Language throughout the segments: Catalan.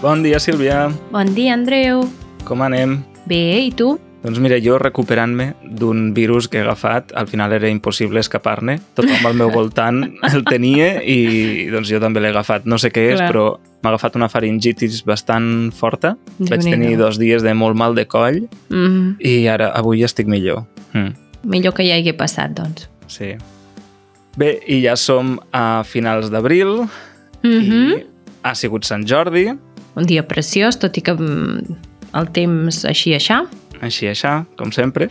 Bon dia, Sílvia. Bon dia, Andreu. Com anem? Bé, i tu? Doncs mira, jo recuperant-me d'un virus que he agafat, al final era impossible escapar-ne. Tothom al meu voltant el tenia i doncs jo també l'he agafat. No sé què és, però m'ha agafat una faringitis bastant forta. Vaig tenir 2 dies de molt mal de coll i ara, avui estic millor. Millor que ja hi hagi passat, doncs. Sí. Bé, i ja som a finals d'abril i ha sigut Sant Jordi. Un dia preciós, tot i que el temps així. Així, com sempre.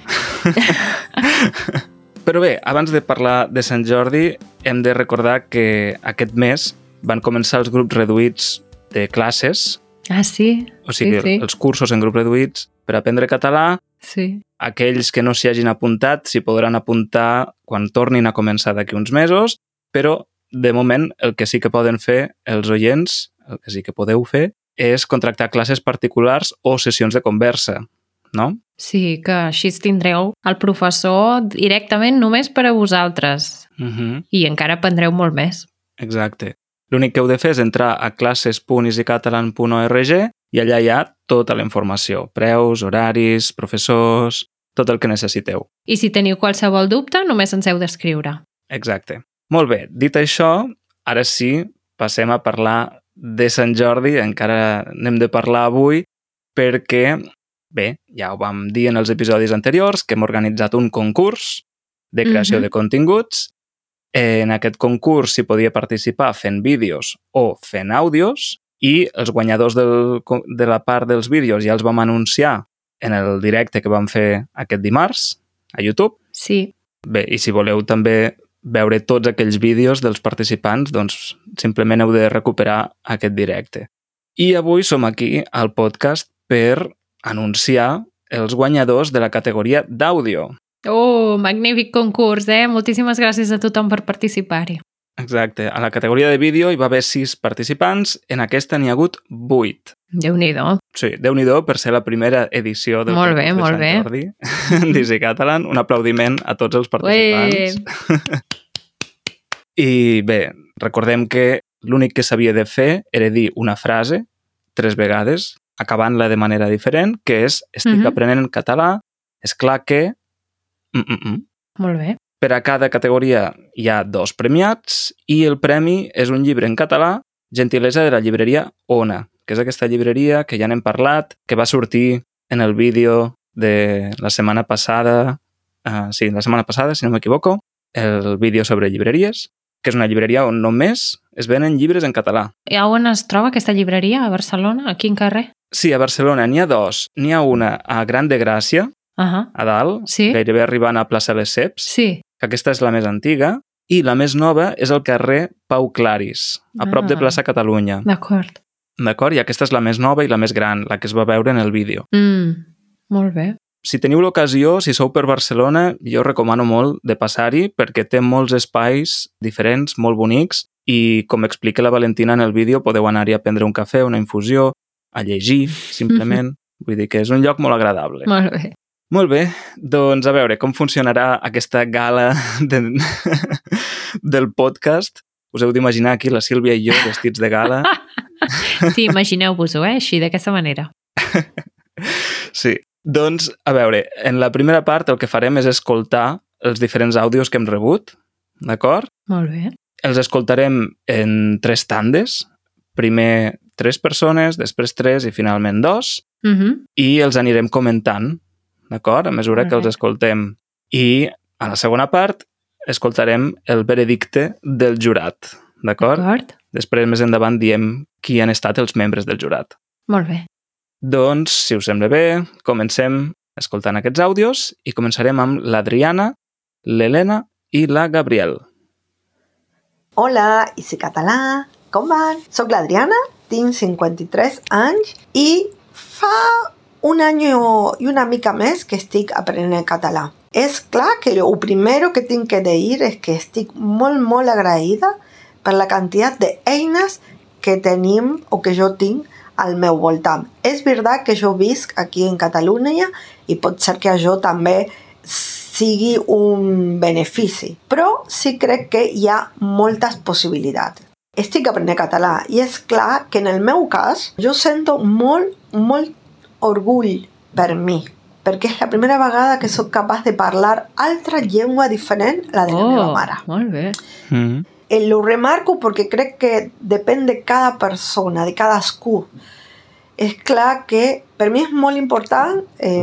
Però bé, abans de parlar de Sant Jordi, hem de recordar que aquest mes van començar els grups reduïts de classes. Ah, sí? O sigui, sí. Els cursos en grups reduïts per aprendre català. Sí. Aquells que no s'hi hagin apuntat s'hi podran apuntar quan tornin a començar d'aquí uns mesos, però de moment el que sí que poden fer els oients, el que sí que podeu fer, és contractar classes particulars o sessions de conversa, no? Sí, que així tindreu el professor directament només per a vosaltres. I encara aprendreu molt més. Exacte. L'únic que heu de fer és entrar a classes.easycatalan.org i allà hi ha tota la informació. Preus, horaris, professors, tot el que necessiteu. I si teniu qualsevol dubte, només ens heu d'escriure. Exacte. Molt bé, dit això, ara sí, passem a parlar de Sant Jordi. Encara n'hem de parlar avui perquè, bé, ja ho vam dir en els episodis anteriors, que hem organitzat un concurs de creació de continguts. En aquest concurs s'hi podia participar fent vídeos o fent àudios i els guanyadors de la part dels vídeos ja els vam anunciar en el directe que vam fer aquest dimarts a YouTube. Sí. Bé, i si voleu també veure tots aquells vídeos dels participants, doncs simplement heu de recuperar aquest directe. I avui som aquí al podcast per anunciar els guanyadors de la categoria d'àudio. Oh, magnífic concurs, Moltíssimes gràcies a tothom per participar-hi. Exacte. A la categoria de vídeo hi va haver 6 participants, en aquesta n'hi ha hagut 8. Déu-n'hi-do. Sí, Déu-n'hi-do per ser la primera edició del concurs de Sant Jordi d'Easy Catalan. Un aplaudiment a tots els participants. I bé, recordem que l'únic que s'havia de fer era dir una frase 3 vegades, acabant-la de manera diferent, que és estic aprenent català, és clar que... Molt bé. Per a cada categoria hi ha 2 premiats i el premi és un llibre en català, gentilesa de la llibreria Ona, que és aquesta llibreria que ja n'hem parlat, que va sortir en el vídeo de la setmana passada, si no m'equivoco, el vídeo sobre llibreries, que és una llibreria on només es venen llibres en català. I on es troba aquesta llibreria? A Barcelona? A quin carrer? Sí, a Barcelona n'hi ha 2. N'hi ha una a Gran de Gràcia, a dalt, gairebé arribant a plaça Les Ceps, que aquesta és la més antiga, i la més nova és al carrer Pau Claris, a prop de plaça Catalunya. D'acord. I aquesta és la més nova i la més gran, la que es va veure en el vídeo. Molt bé. Si teniu l'ocasió, si sou per Barcelona, jo recomano molt de passar-hi perquè té molts espais diferents, molt bonics, i com explica la Valentina en el vídeo, podeu anar-hi a prendre un cafè, una infusió, a llegir, simplement. Vull dir que és un lloc molt agradable. Molt bé. Molt bé, doncs a veure com funcionarà aquesta gala del podcast. Us heu d'imaginar aquí la Sílvia i jo vestits de gala. Sí, imagineu-vos-ho, així, d'aquesta manera. Sí, doncs a veure, en la primera part el que farem és escoltar els diferents àudios que hem rebut, d'acord? Molt bé. Els escoltarem en 3 tandes, primer 3 persones, després 3 i finalment 2, i els anirem comentant, d'acord? A mesura que els escoltem. I a la segona part escoltarem el veredicte del jurat, d'acord? Després, més endavant, diem qui han estat els membres del jurat. Molt bé. Doncs, si us sembla bé, comencem escoltant aquests àudios i començarem amb l'Adriana, l'Helena i la Gabriel. Hola, Easy Català, com van? Soc l'Adriana, tinc 53 anys i fa un any i una mica més que estic aprenent català. És clar que el primero que tinc que dir és que estic molt, molt agraïda per la quantitat d'eines que tenim o que jo tinc al meu voltant. És veritat que jo visc aquí en Catalunya i pot ser que això també sigui un benefici, però sí crec que hi ha moltes possibilitats. estic aprenent català i és clar que en el meu cas jo sento molt orgull per mi, perquè és la primera vegada que sóc capaç de parlar altra llengua diferent a la de la meva mare. Molt bé. Lo remarco perquè crec que depèn de cada persona, de cadascú. És clar que per mi és molt important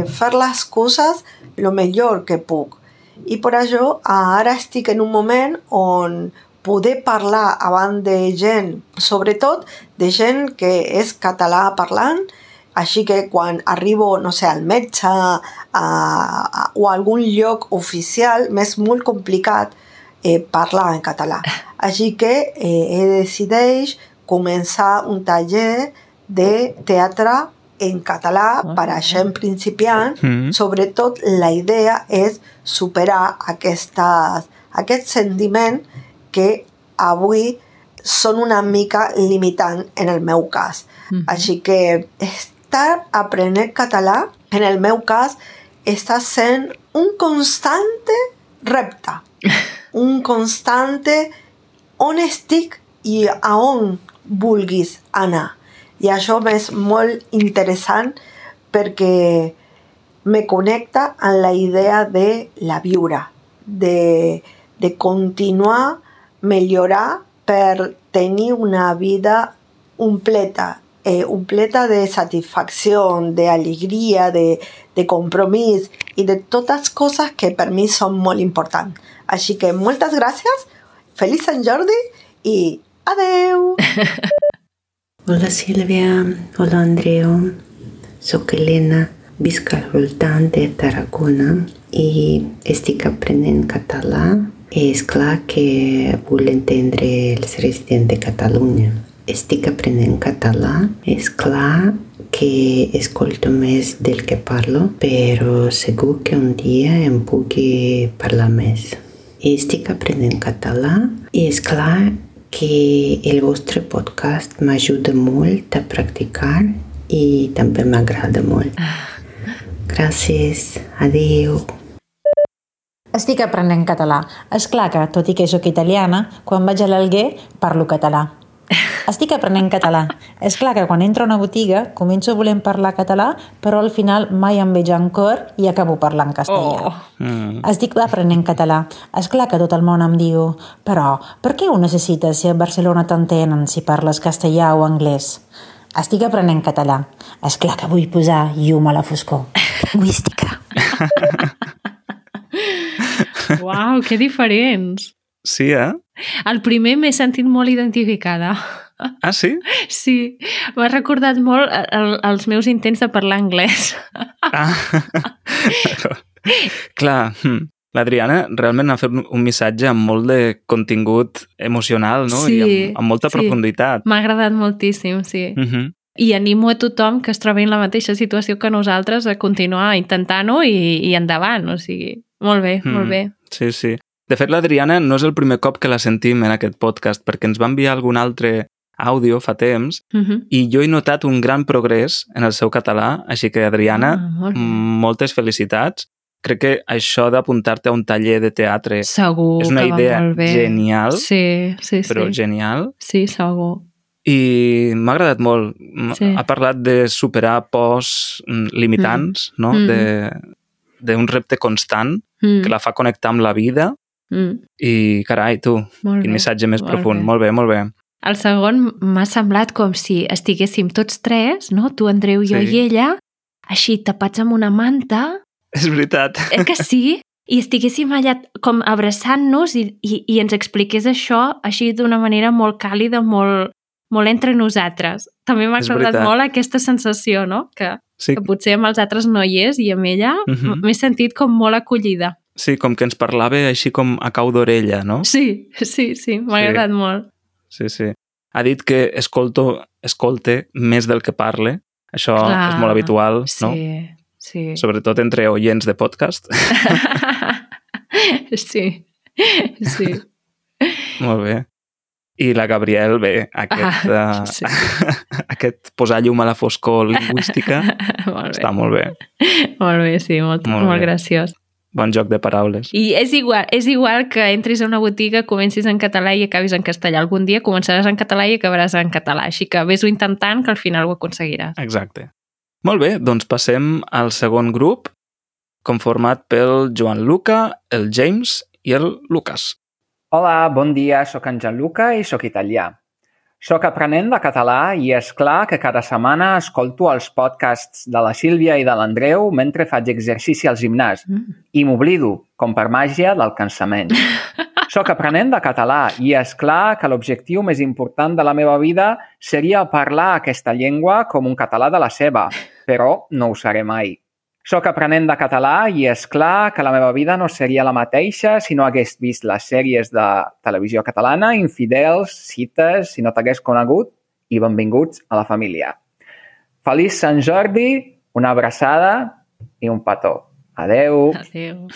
fer les coses el millor que puc. I per això ara estic en un moment on poder parlar abans de gent, sobretot de gent que és català parlant, així que quan arribo, no sé, al metge o a algun lloc oficial m'és molt complicat parlar en català. Així que he decidit començar un taller de teatre en català per a gent principiant. Sobretot la idea és superar aquest sentiment que avui són una mica limitant en el meu cas. Així que estar aprenent català, en el meu cas, està sent un constante repte. Un constante on estic i a on vulguis anar. I això m'és molt interessant perquè me connecta amb la idea de la viure, de continuar, millorar per tenir una vida completa de satisfacció, d'alegria, de compromís i de totes coses que per mi són molt importants. Així que moltes gràcies, feliç Sant Jordi i adeu! Hola Sílvia, hola Andreu, soc Elena, visc al voltant de Tarragona i estic aprenent català. És clar que vull entendre els residents de Catalunya. Estic aprenent català, és clar que escolto més del que parlo, però segur que un dia em pugui parlar més. Estic aprenent català i és clar que el vostre podcast m'ajuda molt a practicar i també m'agrada molt. Gràcies, adéu. Estic aprenent català. És clar que, tot i que sóc italiana, quan vaig a l'Alguer parlo català. Estic aprenent català. És clar que quan entro a una botiga començo volent parlar català, però al final mai em veig en cor i acabo parlant castellà. Estic aprenent català. És clar que tot el món em diu però per què ho necessites si a Barcelona t'entenen si parles castellà o anglès? Estic aprenent català. És clar que vull posar llum a la foscor. Lingüística. Uau, que diferents! Sí, El primer m'he sentit molt identificada. Ah, sí? Sí, m'ha recordat molt els meus intents de parlar anglès. Clar, l'Adriana realment ha fet un missatge amb molt de contingut emocional, no? Sí, i amb molta profunditat. M'ha agradat moltíssim, sí. I animo a tothom que es trobi en la mateixa situació que nosaltres a continuar intentant-ho i endavant, o sigui, molt bé, molt bé. Sí, sí. De fet, l'Adriana no és el primer cop que la sentim en aquest podcast, perquè ens va enviar algun altre àudio fa temps i jo he notat un gran progrés en el seu català, així que, Adriana, moltes felicitats. Crec que això d'apuntar-te a un taller de teatre segur és una idea genial, però genial. Sí, segur. I m'ha agradat molt. Ha parlat de superar pors limitants, no? D'un repte constant que la fa connectar amb la vida. I, carai, tu, quin missatge més profund. Molt bé, molt bé. El segon m'ha semblat com si estiguéssim tots tres, no? Tu, Andreu, jo i ella, així tapats amb una manta. És veritat. Que sí? I estiguéssim allà com abraçant-nos i ens expliqués això així d'una manera molt càlida, molt entre nosaltres. També m'ha agradat molt aquesta sensació, no? Que potser amb els altres no hi és i amb ella m'he sentit com molt acollida. Sí, com que ens parlava així com a cau d'orella, no? Sí, m'ha agradat molt. Sí. Ha dit que escolte més del que parle. Això és molt habitual, no? Sí. Sobretot entre oients de podcast. Sí. Molt bé. I la Gabriel, bé, aquest posar llum a la foscor lingüística està molt bé. Molt bé, sí, molt graciós. Bon joc de paraules. I és igual que entris a una botiga, comencis en català i acabis en castellà. Algun dia començaràs en català i acabaràs en català. Així que vés-ho intentant, que al final ho aconseguiràs. Exacte. Molt bé, doncs passem al segon grup, conformat pel Joan Luca, el James i el Lucas. Hola, bon dia, sóc en Gianluca i sóc italià. Sóc aprenent de català i és clar que cada setmana escolto els podcasts de la Sílvia i de l'Andreu mentre faig exercici al gimnàs i m'oblido, com per màgia, del cansament. Sóc aprenent de català i és clar que l'objectiu més important de la meva vida seria parlar aquesta llengua com un català de la seva, però no ho seré mai. Sóc aprenent de català i és clar que la meva vida no seria la mateixa si no hagués vist les sèries de televisió catalana, Infidels, Cites, si no t'hagués conegut, i benvinguts a la família. Feliç Sant Jordi, una abraçada i un petó. Adeu. Adéu.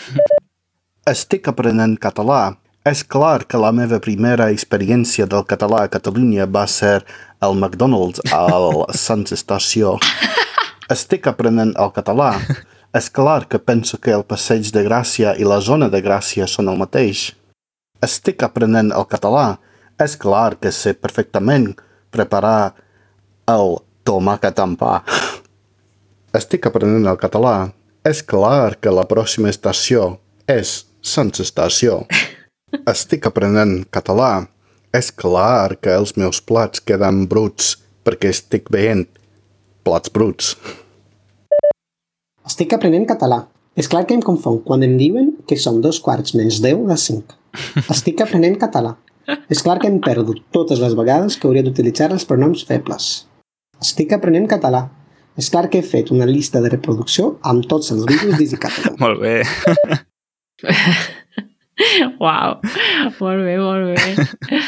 Estic aprenent català. És clar que la meva primera experiència del català a Catalunya va ser al McDonald's al Sants Estació. Estic aprenent el català. És clar que penso que el Passeig de Gràcia i la Zona de Gràcia són el mateix. Estic aprenent el català. És clar que sé perfectament preparar el tomàquet amb pa. Estic aprenent el català. És clar que la pròxima estació és Sants Estació. Estic aprenent català. És clar que els meus plats queden bruts perquè estic veient plats bruts. Estic aprenent català. És clar que em confon quan em diuen que són 2/4 - 10 de 5. Estic aprenent català. És clar que em perdo totes les vegades que hauria d'utilitzar els pronoms febles. Estic aprenent català. És clar que he fet una llista de reproducció amb tots els vídeos d'Easy Catalan. Molt bé. Uau, molt bé, molt bé.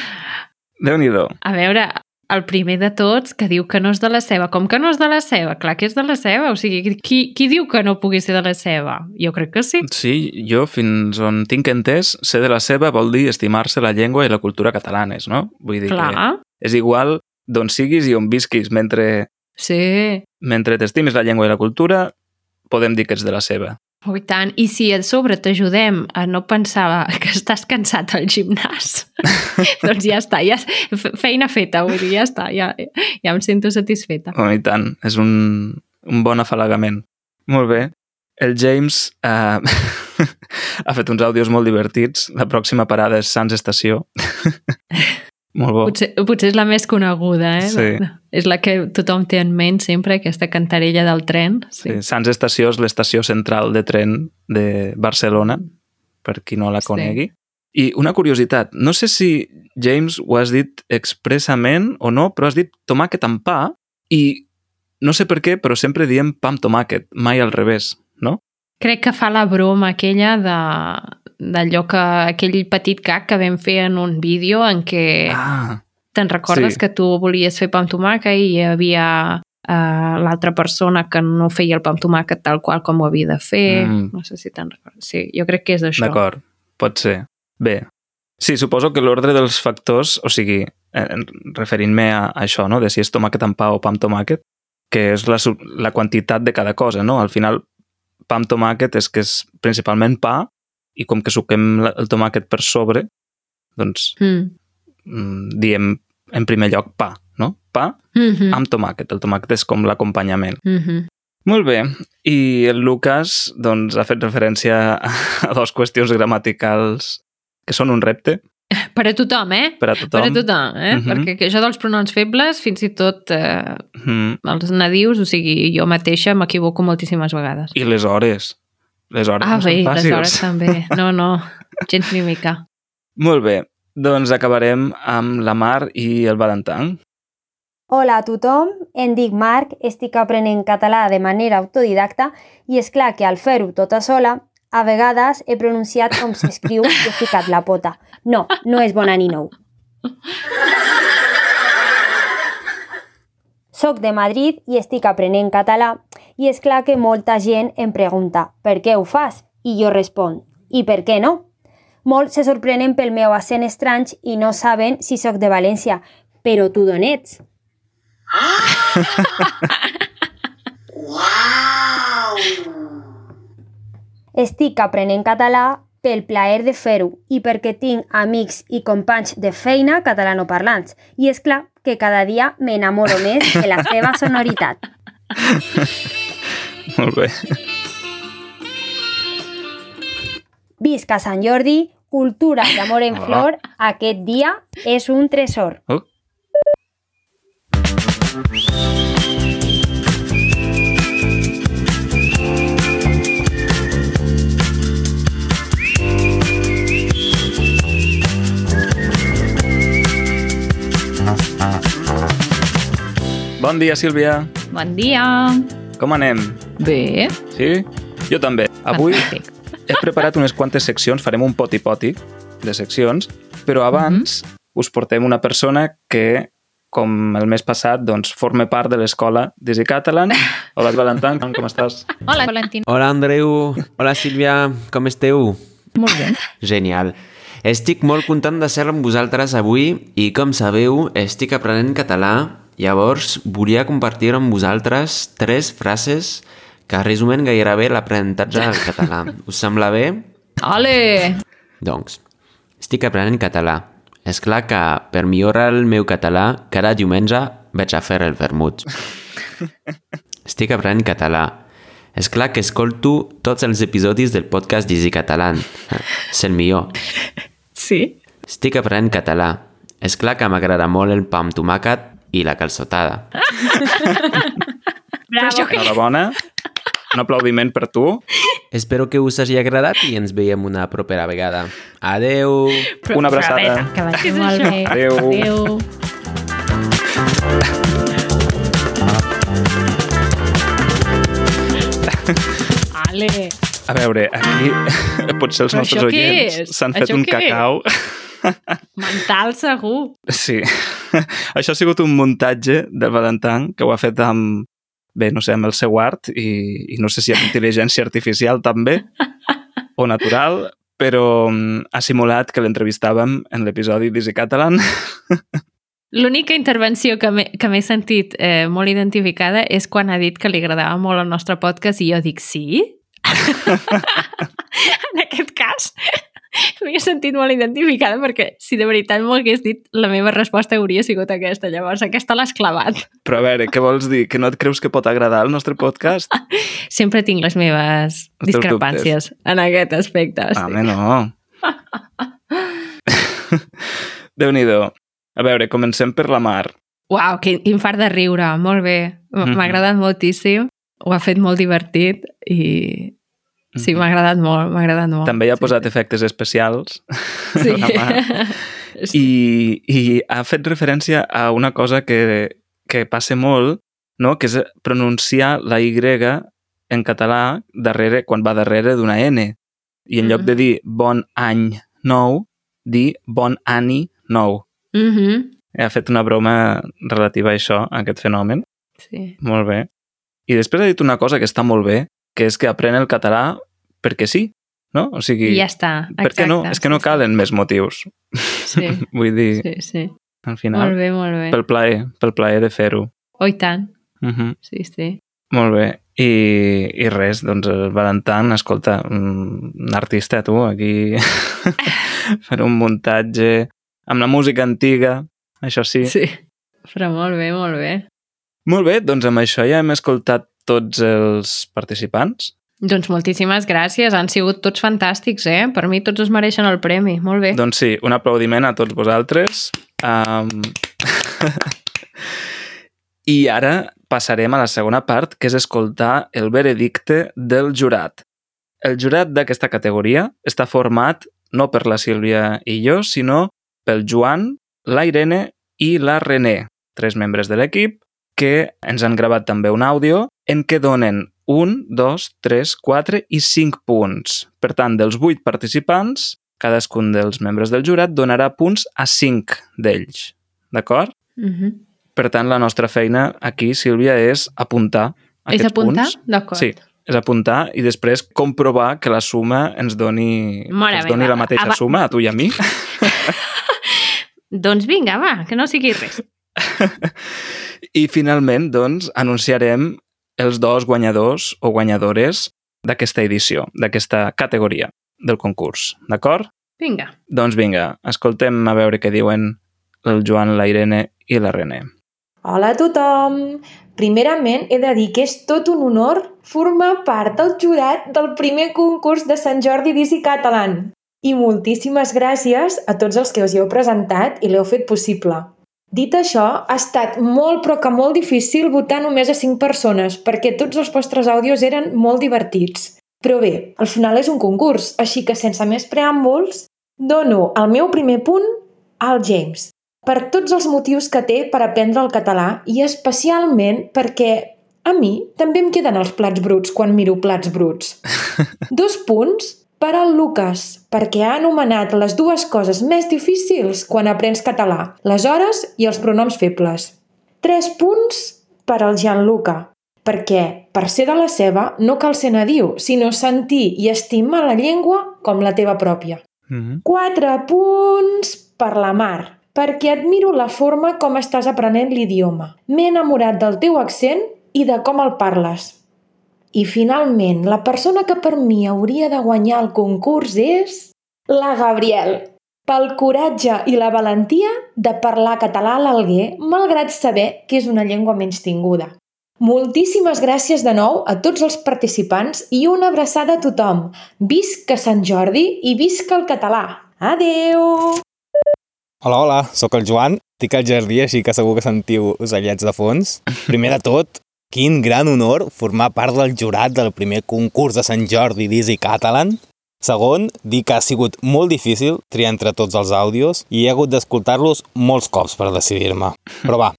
Déu-n'hi-do. A veure, el primer de tots que diu que no és de la seva. Com que no és de la seva? Clar que és de la seva. O sigui, qui diu que no pugui ser de la seva? Jo crec que sí. Sí, jo fins on tinc entès, ser de la seva vol dir estimar-se la llengua i la cultura catalanes, no? Vull dir Clar. que és igual d'on siguis i on visquis. Sí. Mentre t'estimis la llengua i la cultura, podem dir que ets de la seva. Oh, i tant. I si a sobre t'ajudem a no pensar que estàs cansat al gimnàs, doncs ja està, ja feina feta, vull dir, ja està, ja em sento satisfeta. Oh, i tant, és un bon afalagament. Molt bé. El James ha fet uns àudios molt divertits. La pròxima parada és Sants Estació. Molt bo. Potser és la més coneguda, eh? Sí. És la que tothom té en ment sempre, aquesta cantarella del tren. Sí. Sants Estació és l'estació central de tren de Barcelona, per qui no la conegui. Sí. I una curiositat, no sé si, James, ho has dit expressament o no, però has dit tomàquet amb pa i no sé per què, però sempre diem pa amb tomàquet, mai al revés, no? Crec que fa la broma aquella d'allò que aquell petit gag que vam fer en un vídeo en què te'n recordes que tu volies fer pa amb tomàquet i hi havia l'altra persona que no feia el pa amb tomàquet tal qual com ho havia de fer. No sé si te'n recordes. Sí, jo crec que és això. D'acord, pot ser. Bé, sí, suposo que l'ordre dels factors, o sigui, referint-me a això, no? De si és tomàquet amb pa o pa amb tomàquet, que és la quantitat de cada cosa, no? Al final, pa amb tomàquet és que és principalment pa i com que suquem el tomàquet per sobre, doncs diem en primer lloc pa, no? Pa amb tomàquet. El tomàquet és com l'acompanyament. Molt bé. I el Lucas doncs, ha fet referència a dues qüestions gramaticals que són un repte. Per a tothom, eh? Per a tothom. Per a tothom, eh? Perquè això dels pronoms febles, fins i tot els nadius, o sigui, jo mateixa m'equivoco moltíssimes vegades. I les hores. Les hores no bé, són fàcils. Les hores també. No, gens ni mica. Molt bé. Doncs acabarem amb la Mar i el Valentán. Hola a tothom, em dic Marc, estic aprenent català de manera autodidacta i és clar que al fer-ho tota sola, a vegades he pronunciat com s'escriu i he ficat la pota. No és bon ani nou. Soc de Madrid i estic aprenent català i és clar que molta gent em pregunta per què ho fas? I jo responc, i per què no? Molts se sorprenen pel meu accent estrany i no saben si soc de València, però tu d'on ets? Estic aprenent català pel plaer de fer-ho i perquè tinc amics i companys de feina catalanoparlants. I és clar que cada dia m'enamoro més de la seva sonoritat. Molt bé. Visca Sant Jordi, cultura i amor en flor, aquest dia és un tresor. Bon dia, Sílvia. Bon dia. Com anem? Bé. Sí? Jo també. Avui Fantàstic. he preparat unes quantes seccions, farem un poti-poti de seccions, però abans us portem una persona que, com el mes passat, doncs, forma part de l'escola d'Easy Catalan. Hola, Valentin, com estàs? Hola, Valentín. Hola, Andreu. Hola, Sílvia. Com esteu? Molt bé. Genial. Estic molt content de ser amb vosaltres avui i, com sabeu, estic aprenent català. Llavors, volia compartir amb vosaltres 3 frases que resumen gairebé l'aprenentatge del català. Us sembla bé? Ole! Doncs, estic aprenent català. És clar que per millorar el meu català, cada diumenge vaig a fer el vermut. Estic aprenent català. És clar que escolto tots els episodis del podcast d'Easy Catalan. És el millor. Sí? Estic aprenent català. És clar que m'agrada molt el pa amb tomàquet i la calçotada. Bravo. Enhorabona. Un aplaudiment per tu. Espero que us hagi agradat i ens veiem una propera vegada. Adeu! Una abraçada. Que vagi molt bé. Adeu. Adeu. Ale. A veure, aquí potser els Però nostres això què oients és? s'han fet Això un què és? cacau. Mental, segur. Sí. Això ha sigut un muntatge de Valentin que ho ha fet amb, bé, no sé, amb el seu art i no sé si amb intel·ligència artificial també o natural, però ha simulat que l'entrevistàvem en l'episodi d'Easy Catalan. L'única intervenció que m'he sentit molt identificada és quan ha dit que li agradava molt el nostre podcast i jo dic, sí? En aquest cas m'he sentit molt identificada perquè si de veritat m'ho hagués dit la meva resposta hauria sigut aquesta. Llavors aquesta l'has clavat. Però a veure, què vols dir? Que no et creus que pot agradar el nostre podcast? Sempre tinc les meves Els teus discrepàncies en aquest aspecte. Home, no. Déu-n'hi-do. A veure, comencem per la Mar. Uau, quin fart de riure. Molt bé. M'ha agradat moltíssim. Ho ha fet molt divertit i sí, m'ha agradat molt, m'ha agradat molt. També hi ha posat efectes especials. Sí. I ha fet referència a una cosa que passa molt, no? Que és pronunciar la Y en català darrere, quan va darrere d'una N. I en lloc de dir bon any nou, dir bon ani nou. Ha fet una broma relativa a això, a aquest fenomen. Sí. Molt bé. I després ha dit una cosa que està molt bé, que és que aprèn el català perquè sí, no? O sigui, I ja està. per què no? És que no calen més motius. Sí. Vull dir, Sí. al final, Molt bé, molt bé. pel plaer de fer-ho. Oh, i tant. Sí, sí. Molt bé. I res, doncs el Valentin, escolta, un artista, tu, aquí, fer un muntatge amb la música antiga, això sí. Sí, però molt bé, molt bé. Molt bé, doncs amb això ja hem escoltat tots els participants. Doncs moltíssimes gràcies, han sigut tots fantàstics, Per mi tots es mereixen el premi, molt bé. Doncs sí, un aplaudiment a tots vosaltres. I ara passarem a la segona part, que és escoltar el veredicte del jurat. El jurat d'aquesta categoria està format no per la Sílvia i jo, sinó pel Joan, la Irene i la René, 3 membres de l'equip, que ens han gravat també un àudio en què donen 1, 2, 3, 4 i 5 punts. Per tant, dels 8 participants, cadascun dels membres del jurat donarà punts a 5 d'ells. D'acord? Per tant, la nostra feina aquí, Sílvia, és apuntar aquests punts. És apuntar? D'acord. Sí, és apuntar i després comprovar que la suma ens doni, la mateixa suma a tu i a mi. Doncs vinga, va, que no sigui res. I finalment, doncs, anunciarem els 2 guanyadors o guanyadores d'aquesta edició, d'aquesta categoria del concurs. D'acord? Vinga. Doncs vinga, escoltem a veure què diuen el Joan, la Irene i la René. Hola a tothom! Primerament he de dir que és tot un honor formar part del jurat del primer concurs de Sant Jordi d'Easy Catalan. I moltíssimes gràcies a tots els que us hi heu presentat i l'heu fet possible. Dit això, ha estat molt però que molt difícil votar només a 5 persones perquè tots els vostres àudios eren molt divertits. Però bé, al final és un concurs, així que sense més preàmbuls, dono el meu primer punt al James, per tots els motius que té per aprendre el català i especialment perquè a mi també em queden els plats bruts quan miro plats bruts. 2 punts per al Lucas, perquè ha anomenat les 2 coses més difícils quan aprens català, les hores i els pronoms febles. 3 punts per al Gianluca, perquè per ser de la seva no cal ser nadiu, sinó sentir i estimar la llengua com la teva pròpia. 4 punts per la Mar, perquè admiro la forma com estàs aprenent l'idioma. M'he enamorat del teu accent i de com el parles. I finalment, la persona que per mi hauria de guanyar el concurs és la Gabriel, pel coratge i la valentia de parlar català a l'Alguer, malgrat saber que és una llengua menystinguda. Moltíssimes gràcies de nou a tots els participants i una abraçada a tothom. Visca Sant Jordi i visca el català! Adeu! Hola, sóc el Joan, estic al jardí, així que segur que sentiu ocellets de fons. Primer de tot, quin gran honor formar part del jurat del primer concurs de Sant Jordi d'Easy Catalan. Segon, dir que ha sigut molt difícil triar entre tots els àudios i he hagut d'escoltar-los molts cops per decidir-me. Però va,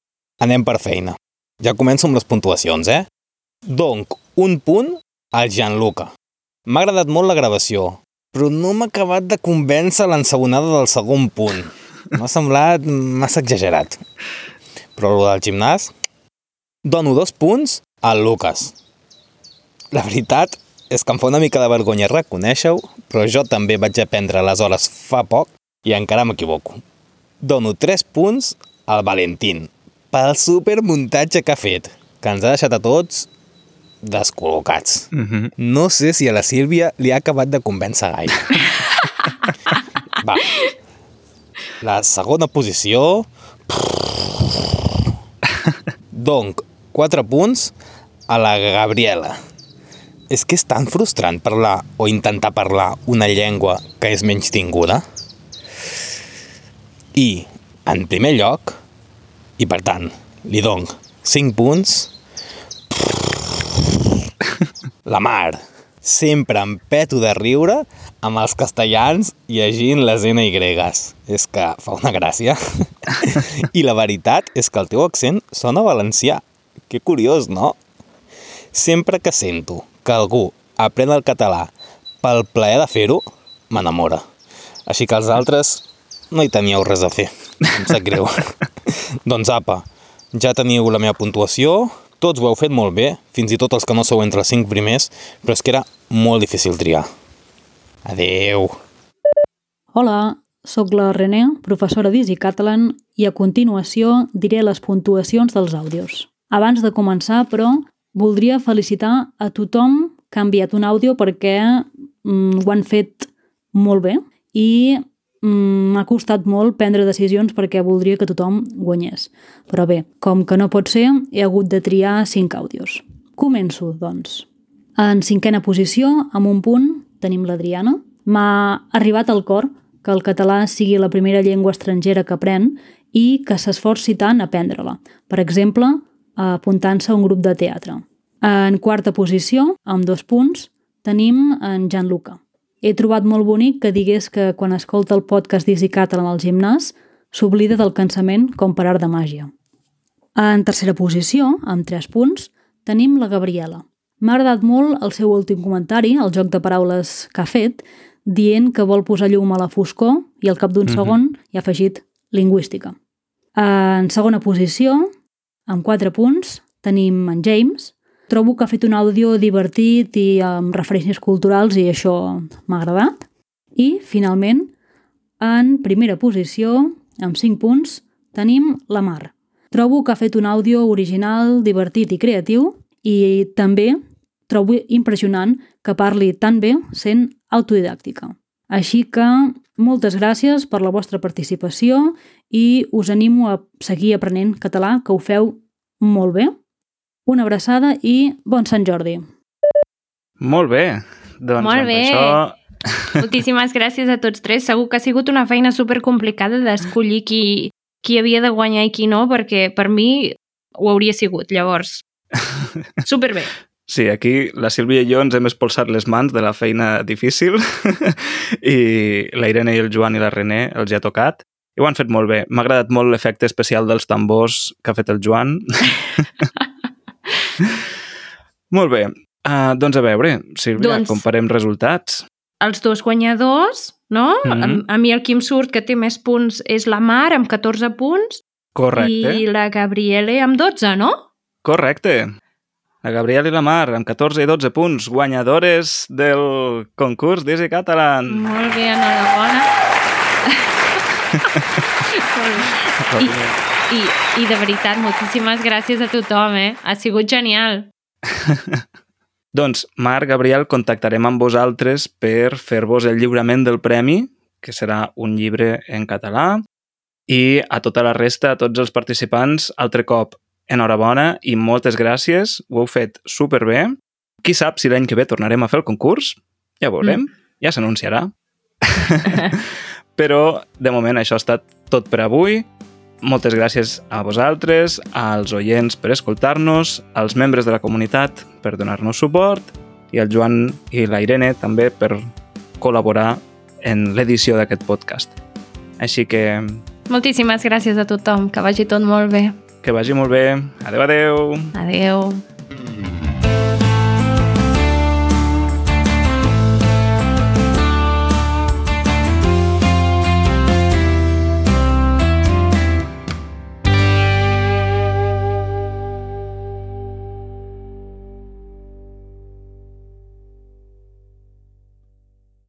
anem per feina. Ja començo amb les puntuacions, Donc, 1 punt al Gianluca. M'ha agradat molt la gravació, però no m'ha acabat de convèncer l'ensabonada del segon punt. M'ha semblat massa exagerat. Però el del gimnàs... Dono 2 punts al Lucas. La veritat és que em fa una mica de vergonya reconèixer-ho, però jo també vaig aprendre les hores fa poc i encara m'equivoco. Dono 3 punts al Valentín pel supermuntatge que ha fet, que ens ha deixat a tots descol·locats. No sé si a la Sílvia li ha acabat de convèncer gaire. Va. La segona posició... Donc, 4 punts a la Gabriela. És que és tan frustrant parlar o intentar parlar una llengua que és menystinguda. I, en primer lloc, i per tant, li dono 5 punts, la Mar. Sempre em peto de riure amb els castellans llegint les NYs. És que fa una gràcia. I la veritat és que el teu accent sona valencià. Que curiós, no? Sempre que sento que algú aprèn el català pel plaer de fer-ho, m'enamora. Així que els altres no hi teníeu res a fer. Em sap greu. Doncs apa, ja teniu la meva puntuació. Tots ho heu fet molt bé, fins i tot els que no sou entre els 5 primers, però és que era molt difícil triar. Adeu! Hola, sóc la René, professora d'Easy Catalan, i a continuació diré les puntuacions dels àudios. Abans de començar, però, voldria felicitar a tothom que ha enviat un àudio perquè ho han fet molt bé i m'ha costat molt prendre decisions perquè voldria que tothom guanyés. Però bé, com que no pot ser, he hagut de triar 5 àudios. Començo, doncs. En 5a posició, amb 1 punt, tenim l'Adriana. M'ha arribat al cor que el català sigui la primera llengua estrangera que aprèn i que s'esforci tant a aprendre-la. Per exemple, apuntant-se a un grup de teatre. En 4a posició, amb 2 punts, tenim en Gianluca. He trobat molt bonic que digués que quan escolta el podcast d'Easy Catalan al gimnàs s'oblida del cansament com per art de màgia. En 3a posició, amb 3 punts, tenim la Gabriela. M'ha agradat molt el seu últim comentari, el joc de paraules que ha fet, dient que vol posar llum a la foscor i al cap d'un segon hi ha afegit lingüística. En 2a posició, amb 4 punts, tenim en James. Trobo que ha fet un àudio divertit i amb referències culturals i això m'ha agradat. I, finalment, en primera posició, amb 5 punts, tenim la Mar. Trobo que ha fet un àudio original, divertit i creatiu i també trobo impressionant que parli tan bé sent autodidàctica. Així que moltes gràcies per la vostra participació i us animo a seguir aprenent català, que ho feu molt bé. Una abraçada i bon Sant Jordi. Molt bé. Doncs molt bé. Això... Moltíssimes gràcies a tots tres. Segur que ha sigut una feina supercomplicada d'escollir qui havia de guanyar i qui no, perquè per mi ho hauria sigut, llavors. Superbé. Sí, aquí la Sílvia i jo ens hem espolsat les mans de la feina difícil i la Irene i el Joan i la René els hi ha tocat i ho han fet molt bé. M'ha agradat molt l'efecte especial dels tambors que ha fet el Joan. Molt bé. Doncs a veure, Sílvia, comparem resultats. Els dos guanyadors, no? A mi el que em surt que té més punts és la Mar, amb 14 punts. Correcte. I la Gabriele amb 12, no? Correcte. La Gabriela i la Mar, amb 14 i 12 punts, guanyadores del concurs d'Easy Catalan. Molt bé, enhorabona. I de veritat, moltíssimes gràcies a tothom, Ha sigut genial. Doncs, Marc, Gabriel, contactarem amb vosaltres per fer-vos el lliurament del premi, que serà un llibre en català, i a tota la resta, a tots els participants, altre cop, enhorabona i moltes gràcies, ho heu fet superbé. Qui sap si l'any que ve tornarem a fer el concurs? Ja veurem, ja s'anunciarà. Però, de moment, això ha estat tot per avui. Moltes gràcies a vosaltres, als oients per escoltar-nos, als membres de la comunitat per donar-nos suport i al Joan i la Irene també per col·laborar en l'edició d'aquest podcast. Així que... Moltíssimes gràcies a tothom, que vagi tot molt bé. Que vagi molt bé. Adéu, adéu. Adéu.